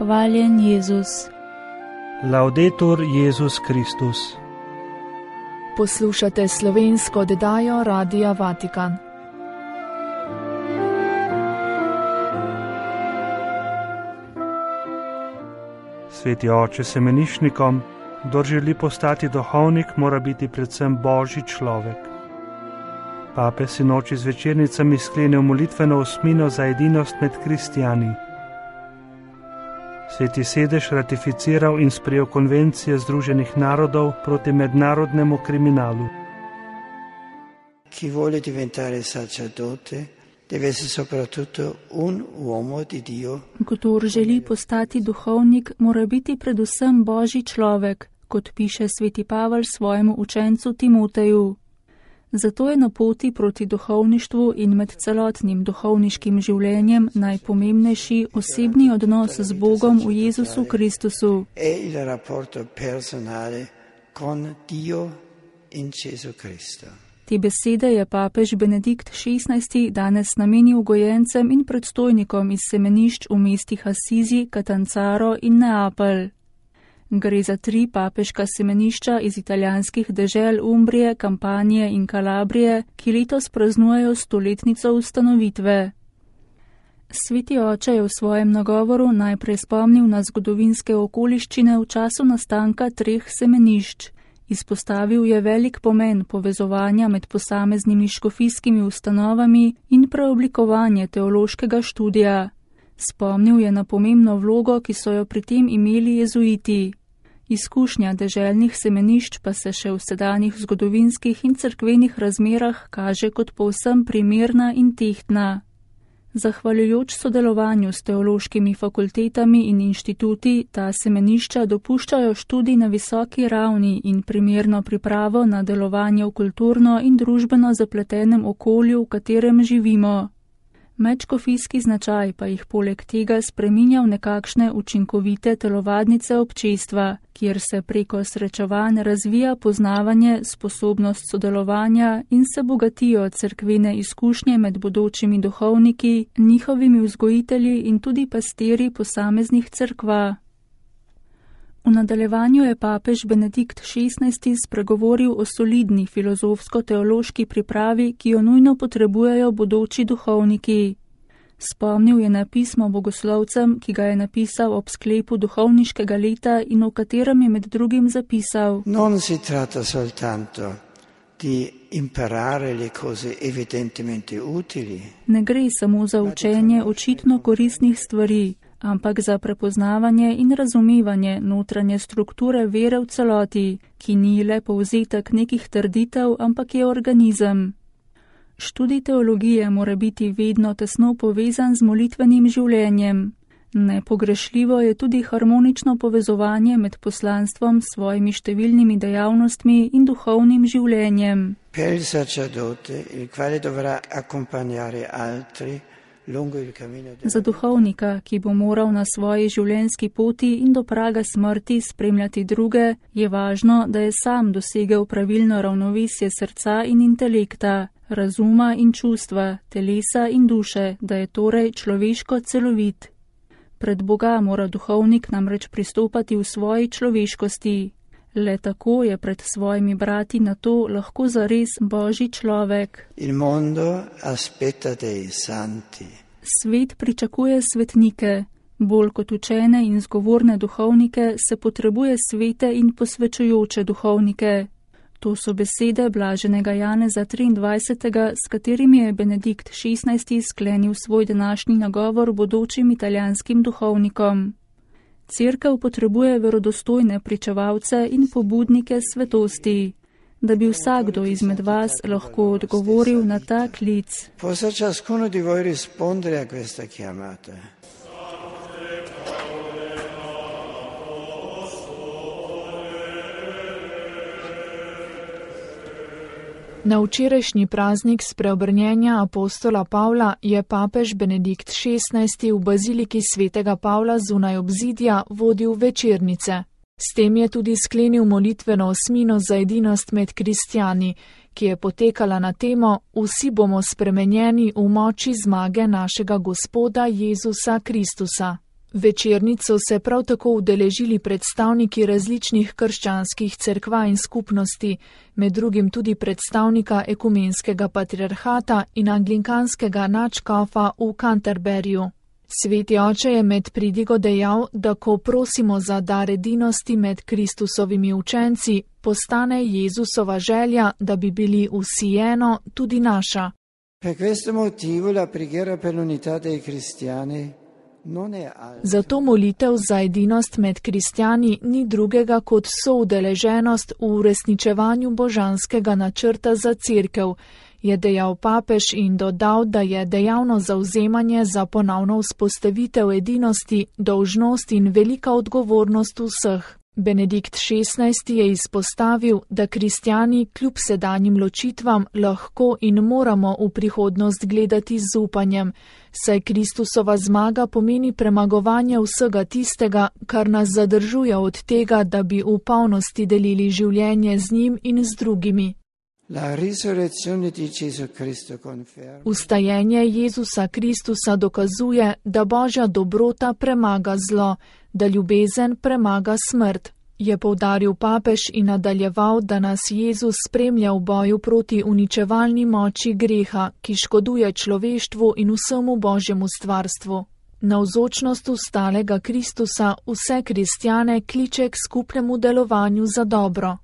Hvaljen Jezus. Laudetur Jezus Kristus. Poslušate slovensko oddajo Radia Vatikan. Sveti oče semenišnikom, kdor želi postati duhovnik, mora biti predvsem božji človek. Pape sinoči z večernicami sklenil molitveno osmino za edinost med kristijani. Sveti sedež ratificiral in sprejel konvencije Združenih narodov proti mednarodnemu kriminalu. Chi vuole diventare sacerdote deve essere soprattutto un uomo di Dio. Kdor želi postati duhovnik, mora biti predvsem božji človek, kot piše sveti Pavel svojemu učencu Timoteju. Zato je na poti proti duhovništvu in med celotnim duhovniškim življenjem najpomembnejši osebni odnos z Bogom v Jezusu Kristusu. E il rapporto personale con Dio in Gesù Cristo. Te besede je papež Benedikt XVI danes namenil gojencem in predstojnikom iz semenišč v mestih Asizi, Catanzaro in Neapelj. Gre za 3 papeška semenišča iz italijanskih dežel Umbrije, Kampanije in Kalabrije, ki letos praznujejo 100-letnico ustanovitve. Sveti oče je v svojem nagovoru najprej spomnil na zgodovinske okoliščine v času nastanka 3 semenišč. Izpostavil je velik pomen povezovanja med posameznimi škofijskimi ustanovami in preoblikovanje teološkega študija. Spomnil je na pomembno vlogo, ki so jo pri tem imeli jezuiti. Izkušnja deželnih semenišč pa se še v sedanjih zgodovinskih in cerkvenih razmerah kaže kot povsem primerna in tehtna. Zahvaljujoč sodelovanju s teološkimi fakultetami in inštituti, ta semenišča dopuščajo študij na visoki ravni in primerno pripravo na delovanje v kulturno in družbeno zapletenem okolju, v katerem živimo. Medškofijski značaj pa jih poleg tega spreminja v nekakšne učinkovite telovadnice občestva, kjer se preko srečevanj razvija poznavanje, sposobnost sodelovanja in se bogatijo cerkvene izkušnje med bodočimi duhovniki, njihovimi vzgojitelji in tudi pastiri posameznih cerkva. V nadaljevanju je papež Benedikt XVI spregovoril o solidni filozofsko-teološki pripravi, ki jo nujno potrebujejo bodoči duhovniki. Spomnil je na pismo bogoslovcem, ki ga je napisal ob sklepu duhovniškega leta in v katerem je med drugim zapisal: Non si tratta soltanto di imparare le cose evidentemente utili. Ne gre samo za učenje očitno koristnih stvari, ampak za prepoznavanje in razumevanje notranje strukture vere v celoti, ki ni le povzetek nekih trditev, ampak je organizem. Študij teologije mora biti vedno tesno povezan z molitvenim življenjem. Nepogrešljivo je tudi harmonično povezovanje med poslanstvom s svojimi številnimi dejavnostmi in duhovnim življenjem. Per il sacerdote, il quale dovrà accompagnare altri lungo il cammino della... Za duhovnika, ki bo moral na svoji življenjski poti in do praga smrti spremljati druge, je važno, da je sam dosegel pravilno ravnovesje srca in intelekta, razuma in čustva, telesa in duše, da je torej človeško celovit. Pred Boga mora duhovnik namreč pristopati v svoji človeškosti. Le tako je pred svojimi brati na to lahko zares božji človek. Il mondo aspetta dei santi. Svet pričakuje svetnike. Bolj kot učene in zgovorne duhovnike se potrebuje svete in posvečujoče duhovnike. To so besede blaženega Janeza 23., s katerimi je Benedikt XVI sklenil svoj današnji nagovor bodočim italijanskim duhovnikom. Cerkev potrebuje verodostojne pričevalce in pobudnike svetosti, da bi vsakdo izmed vas lahko odgovoril na ta klic. Possa ciascuno di voi rispondere a questa chiamata. Na včerajšnji praznik spreobrnjenja apostola Pavla je papež Benedikt XVI v baziliki svetega Pavla zunaj obzidja vodil večernice. S tem je tudi sklenil molitveno osmino za edinost med kristjani, ki je potekala na temo Vsi bomo spremenjeni v moči zmage našega Gospoda Jezusa Kristusa. Večernic so se prav tako udeležili predstavniki različnih krščanskih cerkva in skupnosti, med drugim tudi predstavnika ekumenskega patriarhata in anglikanskega nadškofa v Canterburyju. Sveti oče je med pridigo dejal, da ko prosimo za dar edinosti med Kristusovimi učenci, postane Jezusova želja, da bi bili vsi eno, tudi naša. Per questo motivo la preghiera per l'unità dei cristiani non è altra. Zato molitev za edinost med kristjani ni drugega kot soudeleženost v uresničevanju božanskega načrta za cerkev, je dejal papež in dodal, da je dejavno zavzemanje za ponovno vzpostavitev edinosti, dolžnost in velika odgovornost vseh. Benedikt XVI. Je izpostavil, da kristjani kljub sedanjim ločitvam lahko in moramo v prihodnost gledati z upanjem, saj Kristusova zmaga pomeni premagovanje vsega tistega, kar nas zadržuje od tega, da bi v polnosti delili življenje z njim in z drugimi. Vstajenje Jezusa Kristusa dokazuje, da Božja dobrota premaga zlo, da ljubezen premaga smrt, je poudaril papež in nadaljeval, da nas Jezus spremlja v boju proti uničevalni moči greha, ki škoduje človeštvu in vsemu Božjemu stvarstvu. Navzočnost vstalega Kristusa vse kristjane kliče k skupnemu delovanju za dobro.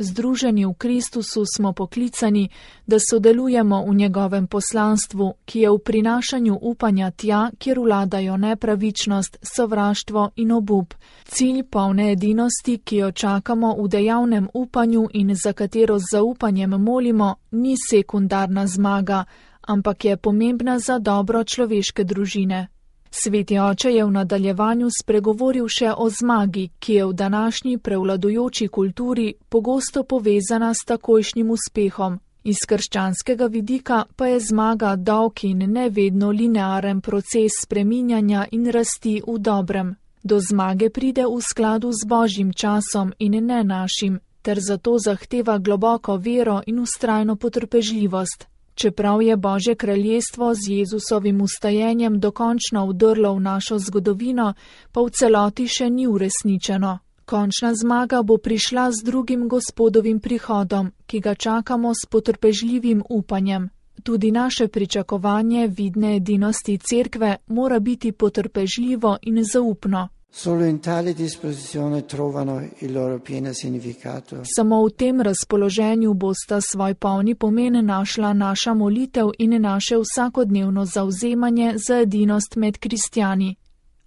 Združeni v Kristusu smo poklicani, da sodelujemo v njegovem poslanstvu, ki je v prinašanju upanja tja, kjer vladajo nepravičnost, sovraštvo in obup. Cilj polne edinosti, ki jo čakamo v dejavnem upanju in za katero z zaupanjem molimo, ni sekundarna zmaga, ampak je pomembna za dobro človeške družine. Sveti oče je v nadaljevanju spregovoril še o zmagi, ki je v današnji prevladujoči kulturi pogosto povezana s takojšnjim uspehom. Iz krščanskega vidika pa je zmaga dolg in ne vedno linearen proces spreminjanja in rasti v dobrem. Do zmage pride v skladu z Božjim časom in ne našim, ter zato zahteva globoko vero in vztrajno potrpežljivost. Čeprav je Božje kraljestvo z Jezusovim vstajenjem dokončno vdrlo v našo zgodovino, pa v celoti še ni uresničeno. Končna zmaga bo prišla z drugim Gospodovim prihodom, ki ga čakamo s potrpežljivim upanjem. Tudi naše pričakovanje vidne edinosti cerkve mora biti potrpežljivo in zaupno. Solo in tale disposizione trovano il loro pieno significato. Samo v tem razpoloženju bosta svoj polni pomen našla naša molitev in naše vsakodnevno zavzemanje za edinost med kristjani.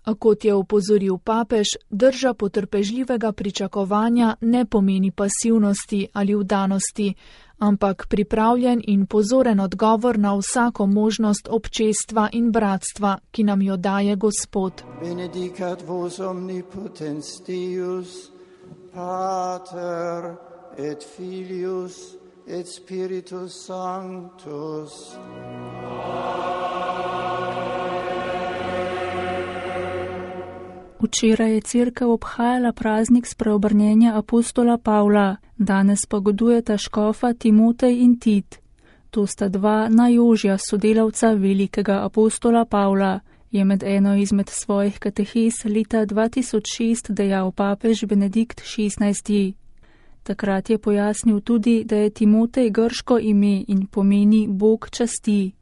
A kot je opozoril papež, drža potrpežljivega pričakovanja ne pomeni pasivnosti ali vdanosti, ampak pripravljen in pozoren odgovor na vsako možnost občestva in bratstva, ki nam jo daje Gospod. Benedicat vos omnipotens Deus, Pater et Filius et Spiritus Sanctus. Včeraj je cerkev obhajala praznik spreobrnjenja apostola Pavla, danes pa godujeta škofa Timotej in Tit. To sta dva najožja sodelavca velikega apostola Pavla, je med eno izmed svojih katehes leta 2006 dejal papež Benedikt XVI. Takrat je pojasnil tudi, da je Timotej grško ime in pomeni Bog časti.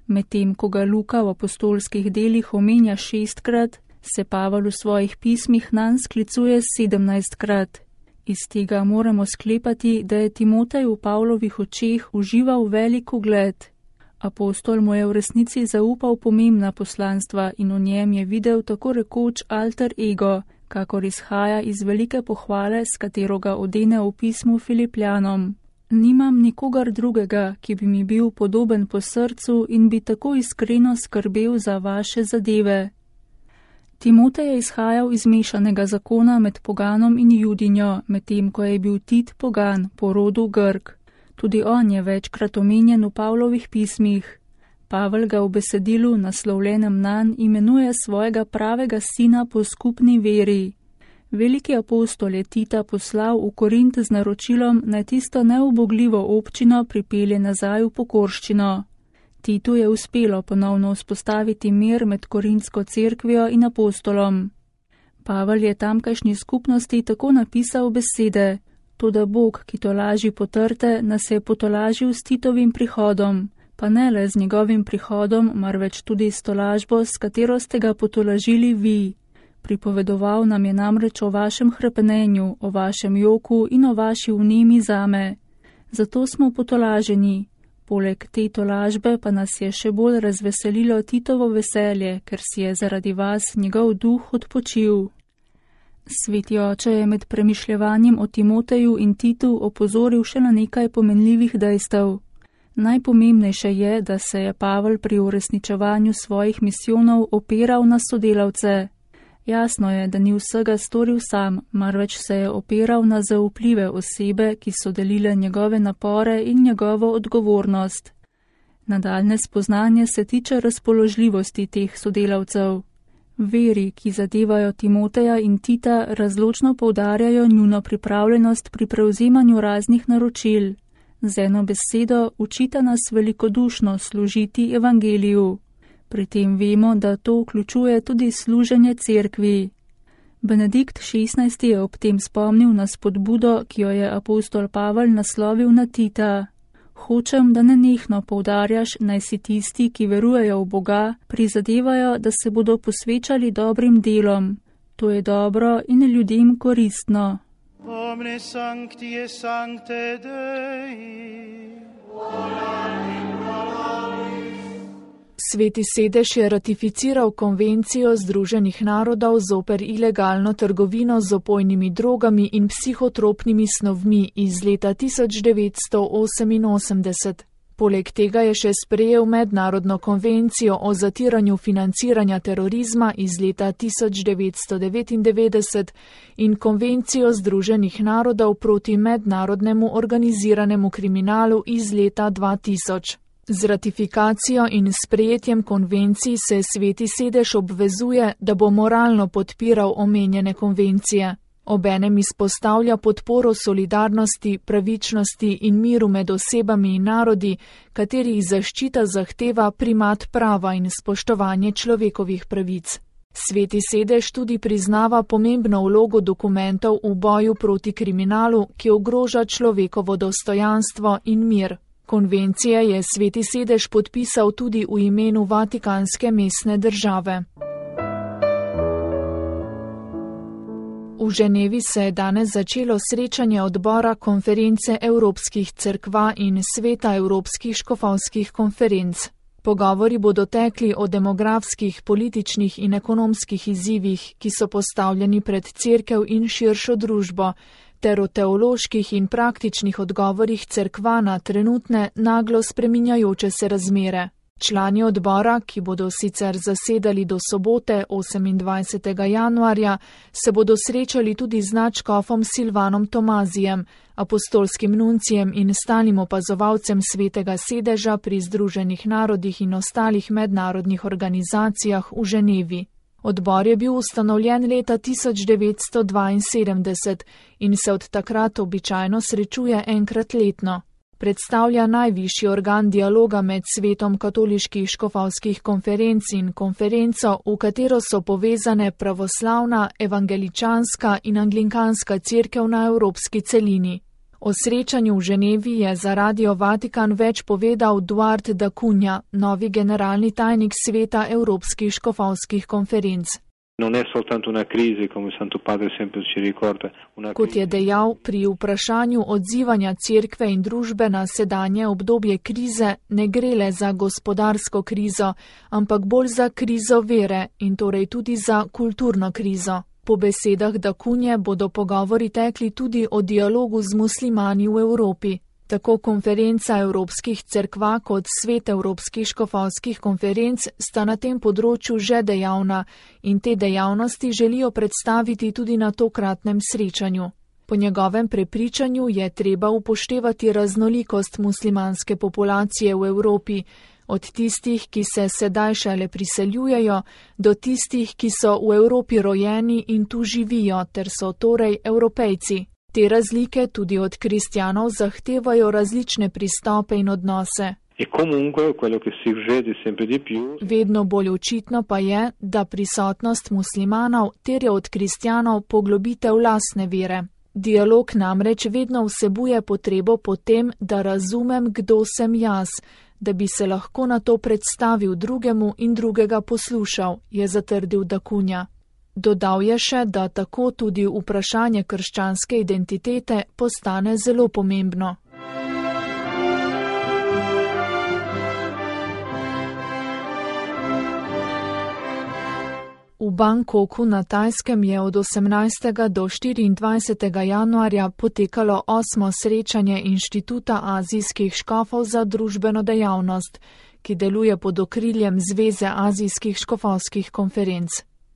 Medtem ko ga Luka v apostolskih delih omenja 6-krat, se Pavel v svojih pismih nanj sklicuje 17-krat. Iz tega moramo sklepati, da je Timotej v Pavlovih očeh užival velik ugled. Apostol mu je v resnici zaupal pomembna poslanstva in v njem je videl tako rekoč alter ego, kakor izhaja iz velike pohvale, s katero ga odene v pismu Filipljanom. Nimam nikogar drugega, ki bi mi bil podoben po srcu in bi tako iskreno skrbel za vaše zadeve. Timotej je izhajal iz mešanega zakona med poganom in judinjo, medtem ko je bil Tit pogan, po rodu Grk. Tudi on je večkrat omenjen v Pavlovih pismih. Pavel ga v besedilu, naslovljenem nanj, imenuje svojega pravega sina po skupni veri. Veliki apostol je Tita poslal v Korint z naročilom, naj tisto neubogljivo občino pripelje nazaj v pokorščino. Titu je uspelo ponovno vzpostaviti mir med Korintsko cerkvijo in apostolom. Pavel je tamkajšnji skupnosti tako napisal besede: Toda Bog, ki tolaži potrte, nas je potolažil s Titovim prihodom, pa ne le z njegovim prihodom, marveč tudi s tolažbo, s katero ste ga potolažili vi. Pripovedoval nam je namreč o vašem hrepenenju, o vašem joku in o vaši vnemi zame. Zato smo potolaženi. Poleg te tolažbe pa nas je še bolj razveselilo Titovo veselje, ker si je zaradi vas njegov duh odpočil. Sveti oče je med premišljevanjem o Timoteju in Titu opozoril še na nekaj pomenljivih dejstev. Najpomembnejše je, da se je Pavel pri uresničevanju svojih misijonov opiral na sodelavce. Jasno je, da ni vsega storil sam, marveč se je opiral na zaupljive osebe, ki so delile njegove napore in njegovo odgovornost. Nadaljne spoznanje se tiče razpoložljivosti teh sodelavcev. Veri, ki zadevajo Timoteja in Tita, razločno poudarjajo njuno pripravljenost pri prevzemanju raznih naročil. Z eno besedo učita nas velikodušno služiti evangeliju. Pri tem vemo, da to vključuje tudi služenje cerkvi. Benedikt XVI je ob tem spomnil na spodbudo, ki jo je apostol Pavel naslovil na Tita. Hočem, da nenehno poudarjaš, naj si tisti, ki verujejo v Boga, prizadevajo, da se bodo posvečali dobrim delom. To je dobro in ljudem koristno. Omne sancti et sancte Dei. Sveti sedež je ratificiral konvencijo Združenih narodov zoper ilegalno trgovino z opojnimi drogami in psihotropnimi snovmi iz leta 1988. Poleg tega je še sprejel mednarodno konvencijo o zatiranju financiranja terorizma iz leta 1999 in konvencijo Združenih narodov proti mednarodnemu organiziranemu kriminalu iz leta 2000. Z ratifikacijo in sprejetjem konvencij se Sveti sedež obvezuje, da bo moralno podpiral omenjene konvencije. Obenem izpostavlja podporo solidarnosti, pravičnosti in miru med osebami in narodi, katerih zaščita zahteva primat prava in spoštovanje človekovih pravic. Sveti sedež tudi priznava pomembno vlogo dokumentov v boju proti kriminalu, ki ogroža človekovo dostojanstvo in mir. Konvencije je Sveti sedež podpisal tudi v imenu Vatikanske mestne države. V Ženevi se je danes začelo srečanje odbora konference Evropskih cerkva in Sveta Evropskih škofovskih konferenc. Pogovori bodo tekli o demografskih, političnih in ekonomskih izzivih, ki so postavljeni pred cerkev in širšo družbo, ter o teoloških in praktičnih odgovorih cerkva na trenutne, naglo spreminjajoče se razmere. Člani odbora, ki bodo sicer zasedali do sobote 28. januarja, se bodo srečali tudi z nadškofom Silvanom Tomazijem, apostolskim nuncijem in stalnim opazovalcem Svetega sedeža pri Združenih narodih in ostalih mednarodnih organizacijah v Ženevi. Odbor je bil ustanovljen leta 1972 in se od takrat običajno srečuje enkrat letno. Predstavlja najvišji organ dialoga med svetom katoliških škofovskih konferenc in konferenco, v katero so povezane pravoslavna, evangeličanska in anglikanska cerkev na evropski celini. O srečanju v Ženevi je za Radio Vatikan več povedal Duarte da Cunha, novi generalni tajnik sveta evropskih škofovskih konferenc. Kot je dejal, pri vprašanju odzivanja cerkve in družbe na sedanje obdobje krize ne gre le za gospodarsko krizo, ampak bolj za krizo vere in torej tudi za kulturno krizo. Po besedah da Cunhe bodo pogovori tekli tudi o dialogu z muslimani v Evropi. Tako konferenca evropskih cerkva kot svet evropskih škofovskih konferenc sta na tem področju že dejavna in te dejavnosti želijo predstaviti tudi na tokratnem srečanju. Po njegovem prepričanju je treba upoštevati raznolikost muslimanske populacije v Evropi, od tistih, ki se sedaj šele priseljujejo, do tistih, ki so v Evropi rojeni in tu živijo, ter so torej Evropejci. Te razlike tudi od kristjanov zahtevajo različne pristope in odnose. E comunque quello che si vede sempre di più. Vedno bolj očitno pa je, da prisotnost muslimanov terja od kristjanov poglobitev lastne vere. Dialog namreč vedno vsebuje potrebo po tem, da razumem, kdo sem jaz, da bi se lahko na to predstavil drugemu in drugega poslušal, je zatrdil Dakunja. Dodal je še, da tako tudi vprašanje krščanske identitete postane zelo pomembno. V Bangkoku na Tajskem je od 18. do 24. januarja potekalo 8. srečanje Inštituta azijskih škofov za družbeno dejavnost, ki deluje pod okriljem Zveze azijskih škofovskih konferenc.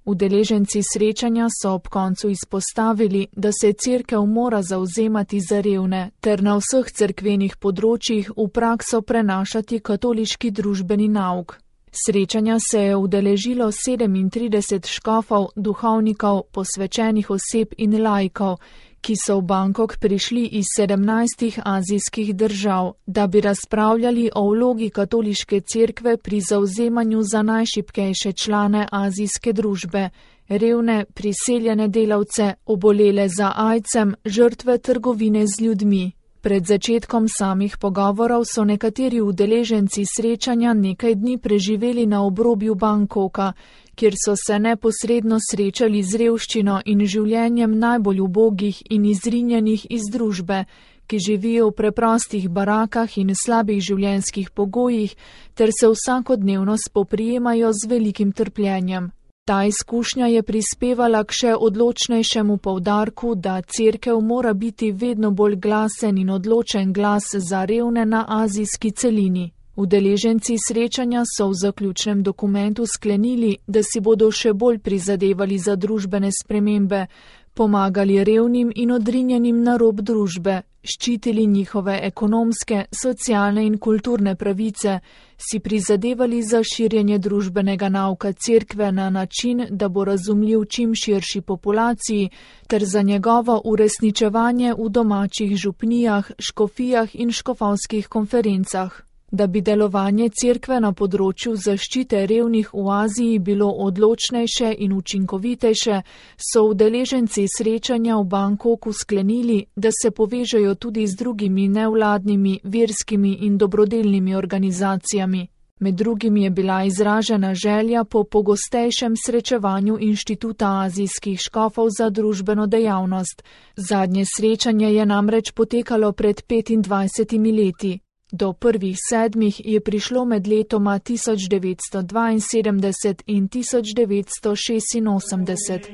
Udeleženci srečanja so ob koncu izpostavili, da se cerkev mora zavzemati za revne ter na vseh cerkvenih področjih v prakso prenašati katoliški družbeni nauk. Srečanja se je udeležilo 37 škofov, duhovnikov, posvečenih oseb in laikov, ki so v Bangkok prišli iz 17 azijskih držav, da bi razpravljali o vlogi katoliške cerkve pri zavzemanju za najšibkejše člane azijske družbe, revne, priseljene delavce, obolele za aidsom, žrtve trgovine z ljudmi. Pred začetkom samih pogovorov so nekateri udeleženci srečanja nekaj dni preživeli na obrobju Bangkoka, kjer so se neposredno srečali z revščino in življenjem najbolj ubogih in izrinjenih iz družbe, ki živijo v preprostih barakah in slabih življenjskih pogojih ter se vsakodnevno spoprijemajo z velikim trpljenjem. Ta izkušnja je prispevala k še odločnejšemu poudarku, da cerkev mora biti vedno bolj glasen in odločen glas za revne na azijski celini. Udeleženci srečanja so v zaključnem dokumentu sklenili, da si bodo še bolj prizadevali za družbene spremembe, pomagali revnim in odrinjenim na rob družbe, ščitili njihove ekonomske, socialne in kulturne pravice, si prizadevali za širjenje družbenega nauka cerkve na način, da bo razumljiv čim širši populaciji, ter za njegovo uresničevanje v domačih župnijah, škofijah in škofovskih konferencah. Da bi delovanje cerkve na področju zaščite revnih v Aziji bilo odločnejše in učinkovitejše, so udeleženci srečanja v Bangkoku sklenili, da se povežejo tudi z drugimi nevladnimi, verskimi in dobrodelnimi organizacijami. Med drugim je bila izražena želja po pogostejšem srečevanju Inštituta azijskih škofov za družbeno dejavnost. Zadnje srečanje je namreč potekalo pred 25 leti. Do prvih 7 je prišlo med letoma 1972 in 1986.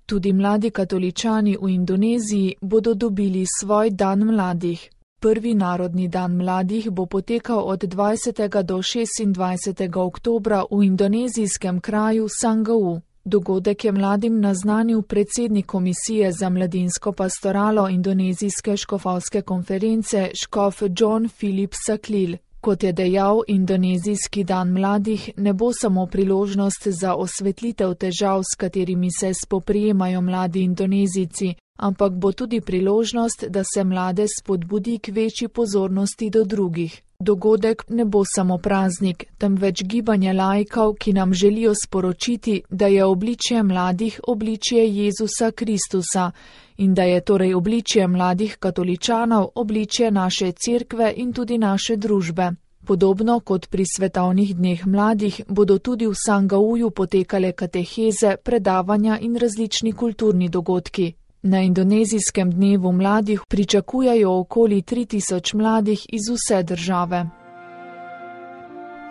Tudi mladi katoličani v Indoneziji bodo dobili svoj dan mladih. Prvi narodni dan mladih bo potekal od 20. do 26. oktobra v indonezijskem kraju Sangaou. Dogodek je mladim naznanil predsednik Komisije za mladinsko pastoralo indonezijske škofovske konference škof John Philip Saklil. Kot je dejal, indonezijski dan mladih ne bo samo priložnost za osvetlitev težav, s katerimi se spoprijemajo mladi Indonezijci, ampak bo tudi priložnost, da se mlade spodbudi k večji pozornosti do drugih. Dogodek ne bo samo praznik, temveč gibanje laikov, ki nam želijo sporočiti, da je obličje mladih obličje Jezusa Kristusa in da je torej obličje mladih katoličanov obličje naše cerkve in tudi naše družbe. Podobno kot pri svetovnih dneh mladih bodo tudi v Sangaouju potekale kateheze, predavanja in različni kulturni dogodki. Na indonezijskem dnevu mladih pričakujejo okoli 3000 mladih iz vse države.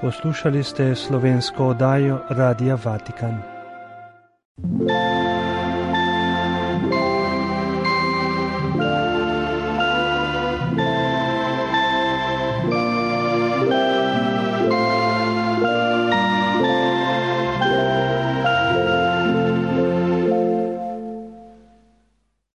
Poslušali ste slovensko oddajo Radia Vatikan.